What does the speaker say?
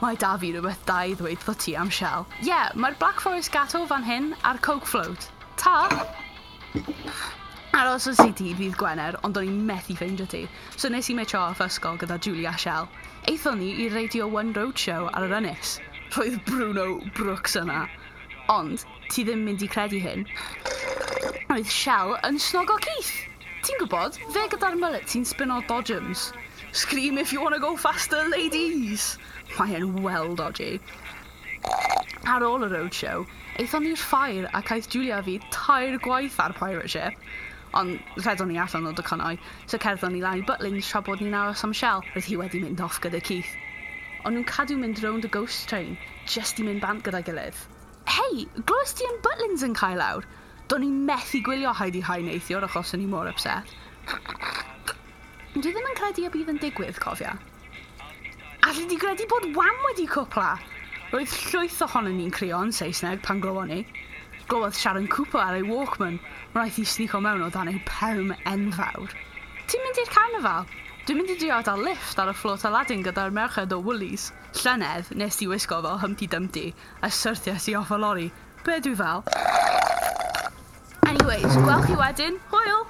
Mae da fi rhywbeth da i ddweud wrtho ti am Shell. Ie, yeah, mae'r Black Forest Gateau fan hyn a'r Coke Float. Ta! Aros i ti ddydd Gwener, ond o'n i'n methu ffeindio ti. So nes i mitio off ysgol gyda Julia Shell. Aethon ni i'r Radio 1 Roadshow ar yr ynys. Roedd Bruno Brooks yna. Ond, ti ddim mynd i credu hyn. Roedd Shell yn snogo Keith. Ti'n gwybod, fe gyda'r mullet sy'n spino dodgems. Scream if you wanna go faster, ladies! Mae e'n well dodgy. Ar ôl y roadshow, aethon ni'r ffair ac aeth Julia a fi tair gwaith ar pirate ship. Ond rhedon ni allan o docynnau, so cerddon ni lan i Butlins tra bod ni'n aros am Shell. Roedd hi wedi mynd off gyda Keith. Ond nhw'n cadw mynd rownd y ghost train, just i mynd bant gyda'i gilydd. Hei, glywes ti am Butlins yn cael lawr? Do'n i'n methu gwylio Hi-de-Hi neithiwr achos o'n i mor upset. Dwi ddim yn credu y bydd yn digwydd, cofia. Alli di gredu bod Wham wedi cwpla? Roedd llwyth ohonon ni'n crio yn Saesneg pan glywon ni. Glywodd Sharon Cooper ar ei Walkman, wnaeth hi sneako mewn o dan ei perm enfawr. Ti'n mynd i'r carnifal? Dwi'n mynd i drio dal lift ar y float Aladdin gyda'r merched o Woolies. Llynedd, nes i wisgo fel Humpty Dumpty a syrthiais i off y lori. Be dwi fel? Anyways, gwel chi wedyn. Hwyl!